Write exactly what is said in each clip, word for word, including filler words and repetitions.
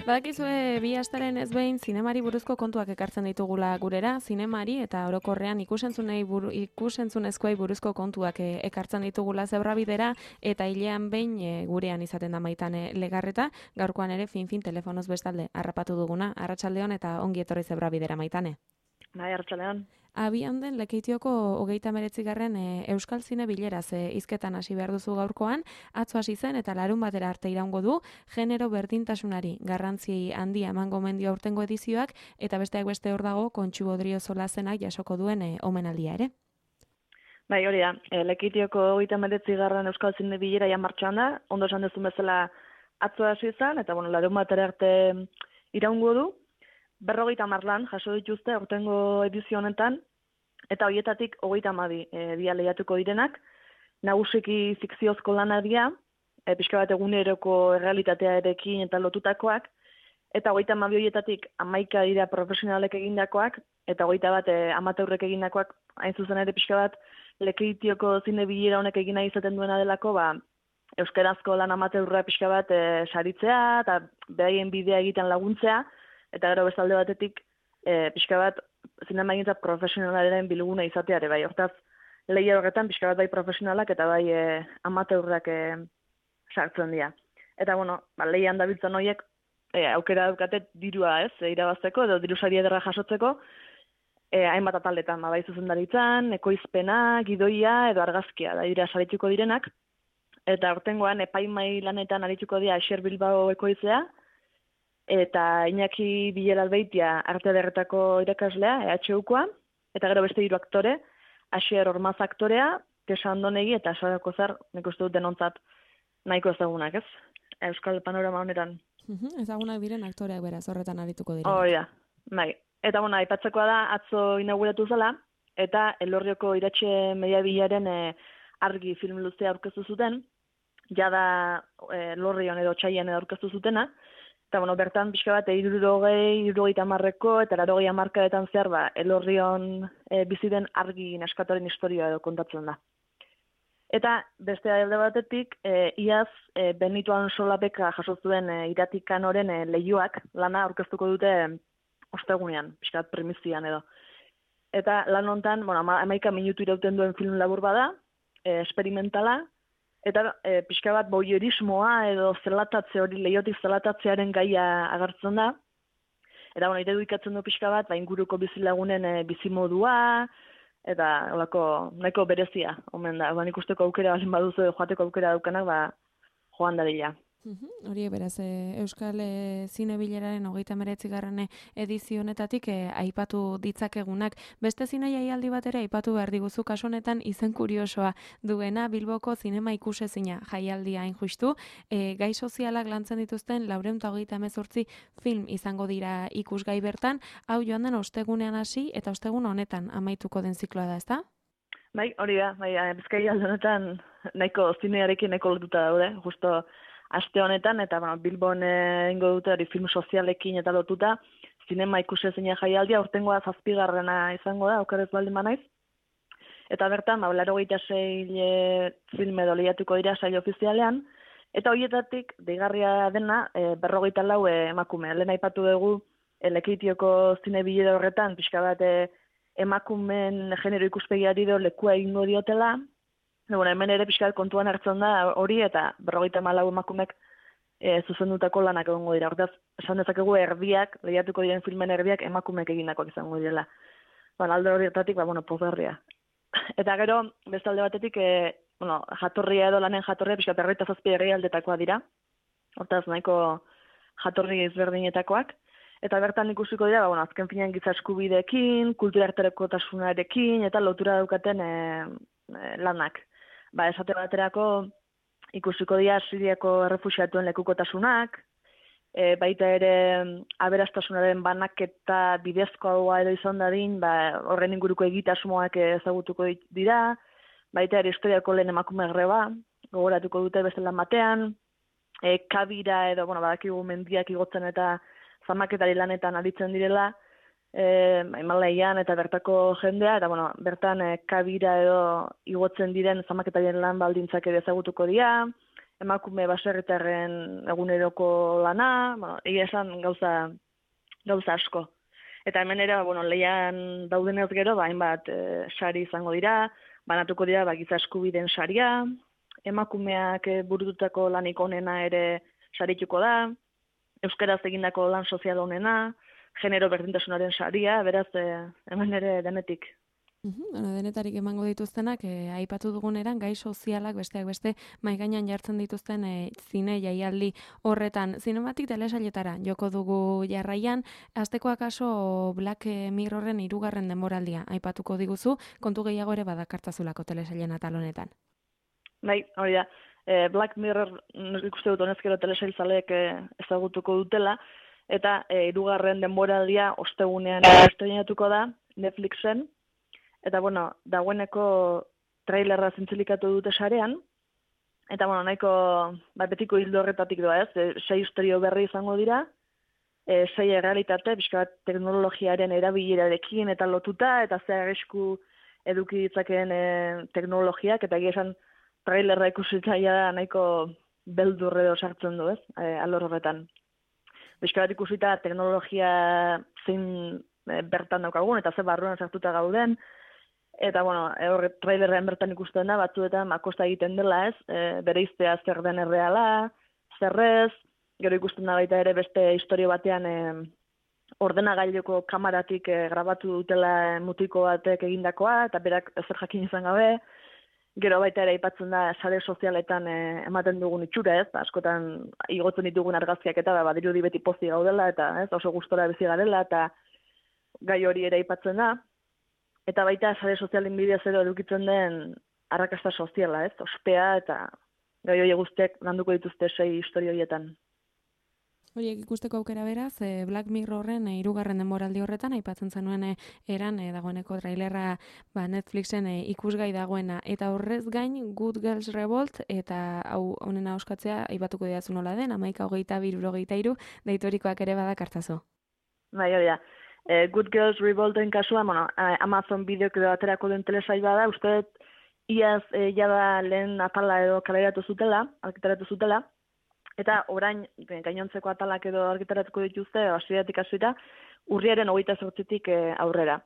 Badakizue bi astaren ez behin zinemari buruzko kontuak ekartzen ditugula gurera, zinemari eta orokorrean ikusentzunei buru, ikusentzunezkoei buruzko kontuak e, ekartzen ditugula zebrabidera eta hilean behin e, gurean izaten da Maitane Legarreta, gaurkoan ere fin-fin telefonoz bestalde harrapatu duguna. Arratsaldeon eta ongi etorri zebrabidera, Maitane. Bai, arratsaldeon. Abian den Lekeitioko hogeita hemeretzigarren e, Euskal Zine bileraz e, hizketan hasi behar duzu gaurkoan, atzo hasi zen eta larun batera arte iraungo du, genero berdintasunari garrantzi handia emango mendio aurtengo edizioak, eta besteak beste hor dago Kontxu Odriozola zenak jasoko duen e, omenaldia ere. Bai, hori da, e, Lekeitioko hogeita hemeretzigarren Euskal Zine bilera ja martxoan da, ondo esan duzun bezala atzo hasi zen, eta bueno, larun batera arte iraungo du. Berrogeita hamar lan jaso dituzte aurtengo edizio honetan, eta horietatik hogeita hamabi e, dia lehiatuko direnak, nagusiki fikziozko lanak dira, e, pixka bat eguneroko errealitatearekin eta lotutakoak, eta hogeita hamabi horietatik hamaika dira profesionalek egindakoak, eta hogeita bat e, amateurrek egindakoak, hain zuzen ere pixka bat Lekeitioko zine bilera honek egina izaten duena delako, ba, euskarazko lan amateurra pixka bat e, saritzea, eta beraien bidea egiten laguntzea, eta gero bestalde batetik e, pixka bat zinemagintza profesionalaren bilguna izateare bai. Hortaz, lehia horretan pixka bat bai profesionalak eta bai e, amateurrak e, sartzen dira. Eta bueno, ba, lehian dabiltzen horiek e, aukera daukate dirua ez, e, irabazteko edo diru sari ederra jasotzeko, e, hainbat ataldetan, ba, bai zuzendaritzan, ekoizpena, gidoia edo argazkia da dira sarituko direnak. Eta aurtengoan epaimai lanetan arituko dira Asier Bilbao ekoizlea, eta Iñaki Bilelalbeitia arte ederretako irakaslea, E H Ukoa, eta gero beste hiru aktore, Asier Ormaz aktorea, Kesa Andonegi eta Sara Kozar, nik uste dut denontzat nahiko ezagunak, ez? Euskal panorama honetan. Uhum, ezagunak diren aktoreak beraz horretan arituko direnak. Hori da, bai. Eta bueno, aipatzekoa da, atzo inauguratu zela, eta Elorrioko iratxe mediabilaren e, argi film luzea aurkeztu zuten, jada e, Lorrion edo Txaian edo aurkeztu zutena, eta bueno, bertan pixka bat hirurogei, hirurogeita hamarreko eta laurogei hamarkadetan zehar ba, Elorrion e, bizi den argi neskatoren historia edo kontatzen da. Eta beste alde batetik, e, iaz e, Benito Ansolapeka jaso zuen e, Iratikaoren e, leihoak lana aurkeztuko dute e, ostegunean, pixka bat primizian edo. Eta lan hontan, bueno, hamaika minutu irauten duen film labur bada, e, experimentala, eta e, pixka bat boierismoa edo zelatatze hori, lehiotik zelatatzearen gaia agertzen da. Eta bueno, irudikatzen du pixka bat, ba, inguruko bizilagunen e, bizimodua, eta olako, nahiko berezia, omen da. Ba, ikusteko aukera balin baduzu joateko aukera daukanak, ba, joan dadila. Uhum, hori beraz, e, Euskal e, Zine bileraren hogeita hemeretzigarren edizio honetatik e, aipatu ditzakegunak. Beste zine jaialdi bat ere aipatu behar diguzu kasu honetan izen kuriosoa duena Bilboko zinema ikusezina jaialdia hain justu. E, gai sozialak lantzen dituzten laurehun eta hogeita hemezortzi film izango dira ikusgai bertan. Hau joan den ostegunean hasi eta ostegun honetan amaituko den zikloa da, ezta? Bai, hori da, bai, Bizkaia honetan nahiko zinearekin nahiko lotuta daude, justo aste honetan, eta bueno, Bilbon ingo dute hori film sozialekin eta lotuta, zinema ikusezina jaialdia, urtengoa zazpigarrena izango da, okerez baldin banaiz. Eta bertan, ba, laurogeita sei film edo lehiatuko dira sail ofizialean, eta horietatik, deigarria dena, e, berrogeita lau e, emakume. Lehen aipatu dugu, e, Lekeitioko zine bilera horretan, pixka bat e, emakumen genero ikuspegiari do lekua egingo diotela. Bueno, hemen ere pixka kontuan hartzen da hori, eta berrogeita hamalau emakumek e, zuzendutako lanak egongo dira. Hortaz, esan dezakegu erdiak, lehiatuko diren filmen erdiak emakumeek egindakoak izango direla. Ba, alde horietatik, ba, bueno, pozgarria. Eta gero, beste alde batetik, e, bueno, jatorria edo lanen jatorria, pixka berrogeita zazpi herrialdetakoa dira. Hortaz, nahiko jatorri ezberdinetakoak. Eta bertan ikusiko dira, ba, bueno, azken finean giza eskubideekin, kultura erterekotasunarekin, eta lotura daukaten e, e, lanak. Ba, esate baterako ikusiko dira Siriako errefuxiatuen lekukotasunak, e, baita ere aberastasunaren banaketa bidezkoa edo izan dadin, ba, horren inguruko egitasmoak ezagutuko dira, baita ere historiako lehen emakume greba, gogoratuko dute beste lan batean, e, kabira edo, bueno, badakigu mendiak igotzen eta zamaketari lanetan aritzen direla, E, Himalaian eta bertako jendea, eta bueno, bertan e, kabira edo igotzen diren zamaketarien lan baldintzak ere ezagutuko dira, emakume baserritarren eguneroko lana, bueno, egia esan gauza, gauza asko. Eta hemen ere, bueno, lehian daudenez gero, ba, hainbat e, sari izango dira, banatuko dira ba, giza eskubideen saria, emakumeak e, burututako lanik onena ere sarituko da, euskaraz egindako lan sozial onena, genero berdintasunaren saria, beraz, e, hemen ere denetik. Uhum, bueno, denetarik emango dituztenak, eh, aipatu duguneran, gai sozialak besteak beste maigainan jartzen dituzten eh, zine jaialdi horretan. Zinematik telesailetara joko dugu jarraian, hasteko akaso Black Mirrorren hirugarren denboraldia aipatuko diguzu, kontu gehiago ere badakartzazulako telesailen atal honetan. Bai, hori da, e, Black Mirror nik uste dut honezkero telesailzaleek e, ezagutuko dutela, eta hirugarren denboraldia ostegunean estreinatuko da Netflixen. Eta, bueno, dagoeneko trailerra zintzilikatu dute sarean, eta, bueno, nahiko ba, betiko hildo horretatik doa, ez? E, sei istorio berri izango dira, e, sei errealitate, pixka bat teknologiaren erabilerarekin eta lotuta, eta zer arrisku eduki ditzakeen e, teknologiak, eta egia esan trailerra ikusitzaia da nahiko beldurre edo sartzen du, ez? E, alor horretan. Pixka bat ikusita teknologia zein e, bertan daukagun, eta ze barruan sartuta gauden, eta, bueno, horre trailerrean bertan ikusten da, batzuetan makosta egiten dela, ez, e, bere iztea zer den erreala, zerrez, gero ikusten da baita ere beste historio batean e, ordenagailoko kamaratik e, grabatu dutela mutiko batek egindakoa, eta berak ezer jakin izan gabe, gero baita ere aipatzen da sare sozialetan e, ematen dugun itxura, ez, askotan igotzen ditugun argazkiak eta badirudi beti pozi gaudela, eta ez, oso gustora bizi garela, eta gai hori ere aipatzen da. Eta baita sare sozialen bidez ero edukitzen den arrakasta soziala, ez? Ospea eta gai hori guztiak landuko dituzte sei istorio horietan. Horiek ikusteko aukera beraz, e, Black Mirrorren e, hirugarren denboraldi horretan aipatzen zenuen e, eran e, dagoeneko trailerra ba, Netflixen e, ikusgai dagoena. Eta horrez gain Good Girls Revolt eta hau honena oskatzea aipatuko didazu nola den, hamaika hogeita bi hirurogeita hiru deitorikoak ere badakartzazu. Bai, hori da. E, Good Girls Revolten kasua, bueno, Amazon bideok edo aterako den telesail bada, uste dut iaz e, jada lehen atala edo kaleratu zutela, argitaratu zutela, eta orain gainontzeko atalak edo argitaratuko dituzte, hasieratik hasita, urriaren hogeita zortzitik e, aurrera.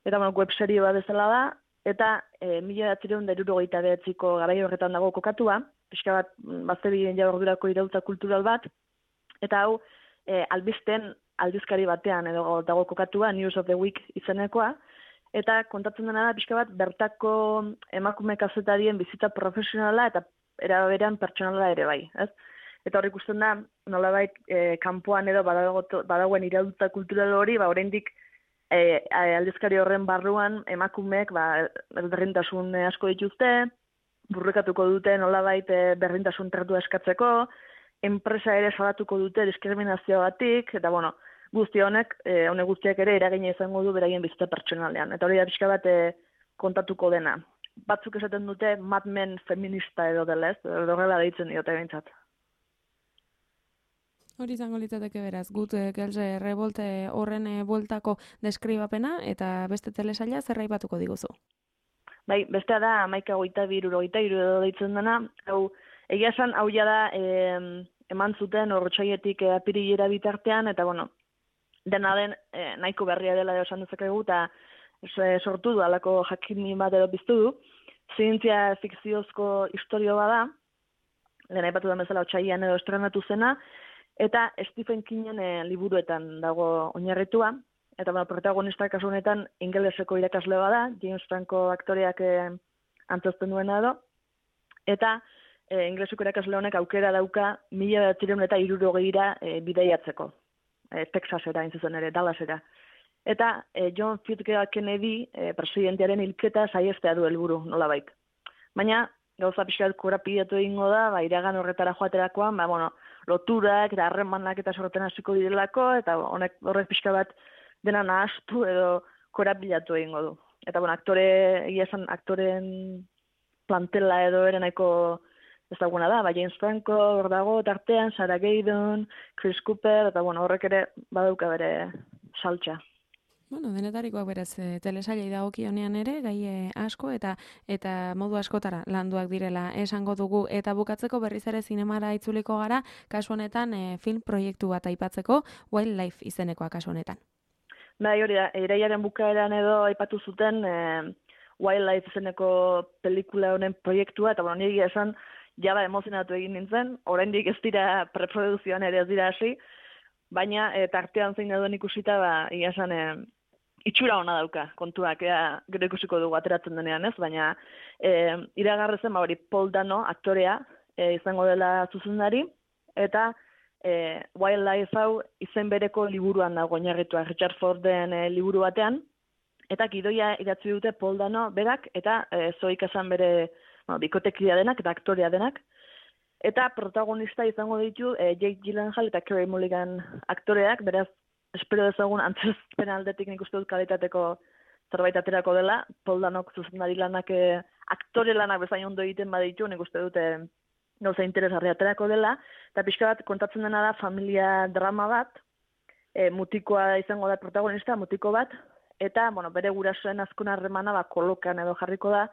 Eta, bueno, web serio bat bezala da, eta e, mila bederatziehun eta hirurogeita bederatziko garai horretan dago kokatua, pixka bat bazterien ordurako iraultza kultural bat, eta hau e, albisten aldizkari batean edo dago kokatua, News of the Week izenekoa, eta kontatzen dena da pixka bat bertako emakume kazetarien bizitza profesionala eta era berean pertsonala ere bai, ez? Eta hor ikusten da, nolabait e, kanpoan edo badagoen iraultza kultural hori, ba oraindik e, aldizkari horren barruan emakumeek ba berdintasun asko dituzte, burrukatuko dute nolabait e, berdintasun tratua eskatzeko, enpresa ere salatuko dute diskriminazioagatik, eta bueno, guzti honek, e, honek guztiak ere eragina izango du beraien bizitza pertsonalean. Eta hori da pixka bat e, kontatuko dena. Batzuk esaten dute Mad Men feminista edo dela, ez? Edo horrela deitzen diote behintzat. Hori izango litzateke beraz, Good Girls Revolt horren bueltako deskribapena eta beste telesaila zer aipatuko diguzu? Bai, bestea da hamaika hogeita bi hirurogeita hiru edo deitzen dena, hau egia esan hau ja da e, eman zuten hortxaietik e, apirilera bitartean, eta bueno, dena den e, nahiko berria dela edo esan dezakegu, eta e, sortu du, alako jakini bat edo biztu du, zientzia fikziozko historio bada, lehen aipatu den bezala otsailean edo estrenatu zena, eta Stephen Kingen e, liburuetan dago oinarritua, eta bueno, protagonista kasu honetan ingeleseko irakasle bada, James Franco aktoreak e, antzozten duena edo, eta e, ingeleseko irakasle honek aukera dauka mila bederatziehun eta hirurogeira e, bidaiatzeko, e, Texasera, intzuzen ere, Dallasera. Eta e, John F. Kennedy e, presidentearen hilketa saiestea du helburu nolabait. Baina, gauza pixka bat korapidatu egingo da, ba, iragan horretara joaterakoan, ba, bueno, loturak eta harremanak eta sorten hasiko direlako, eta honek horrek pixka bat dena nahastu edo korapilatu egingo du. Eta, bueno, aktore, egia esan, aktoren plantela edo ere nahiko ezaguna da, ba, James Franco, hor dago, tartean, Sarah Gaydon, Chris Cooper, eta, bueno, horrek ere badauka bere saltxa. Bueno, denetarikoak berez, e, telesailei dagokionean ere, gai e, asko eta eta modu askotara landuak direla esango dugu. Eta bukatzeko berriz ere zinemara itzuliko gara, kasu honetan e, film proiektu bat aipatzeko, Wildlife izenekoa kasu honetan. Bai, hori da, iraiaren bukaeran edo aipatu zuten e, Wildlife izeneko pelikula honen proiektua, eta bueno, nire esan, jaba emozionatu egin nintzen, oraindik ez dira preproduzioan ere ez dira hasi, baina e, tartean zein duen ikusita, ba, ia esan, e, itxura ona dauka kontuak, ea, gero ikusiko dugu ateratzen denean ez, baina e, iragarrezen, ba, hori, Paul Dano, aktorea, e, izango dela zuzendari, eta e, Wildlife hau izen bereko liburuan dago oinarritua, Richard Forden e, liburu batean, eta gidoia idatzi dute Paul Dano berak, eta e, Zoe Kazan bere bueno, bikotekidea denak, eta aktorea denak, eta protagonista izango ditu e, Jake Gyllenhaal eta Carey Mulligan aktoreak, beraz, espero dezagun antzezpen aldetik nik uste dut kalitateko zerbait aterako dela, Paul Danok zuzendari lanak e, aktore lanak bezain ondo egiten baditu, nik uste dute gauza interesgarri aterako dela, eta pixka bat kontatzen dena da familia drama bat, e, mutikoa izango da protagonista, mutiko bat, eta bueno, bere gurasoen azkon harremana ba, kolokan edo jarriko da,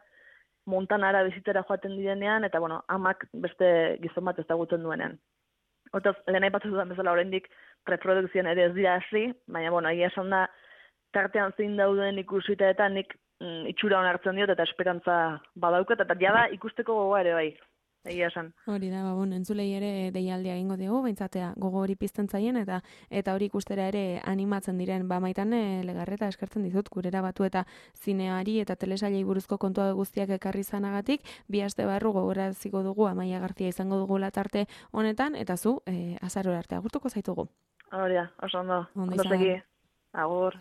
Montanara bizitera joaten direnean, eta bueno, amak beste gizon bat ezagutzen duenean. Hortaz, lehen aipatzen dudan bezala oraindik preprodukzioan ere ez dira hasi, baina bueno, egia esan da, tartean zein dauden ikusita eta nik mm, itxura hon hartzen diot eta esperantza badaukat, eta jada ikusteko gogoa ere bai, egia esan. Hori da, ba, bueno, entzulei ere deialdia egingo dugu, beintzatea gogo hori pizten zaien, eta eta hori ikustera ere animatzen diren, ba maitan Legarreta eskertzen dizut, gurera batu eta zineari eta telesailei buruzko kontua guztiak ekarri zanagatik, bi aste barru gogoraziko dugu, Amaia Garzia izango dugu latarte honetan, eta zu, e, azarora arte agurtuko zaitugu. Hori da, oso ondo, Ondo ondo izan. segi, agur.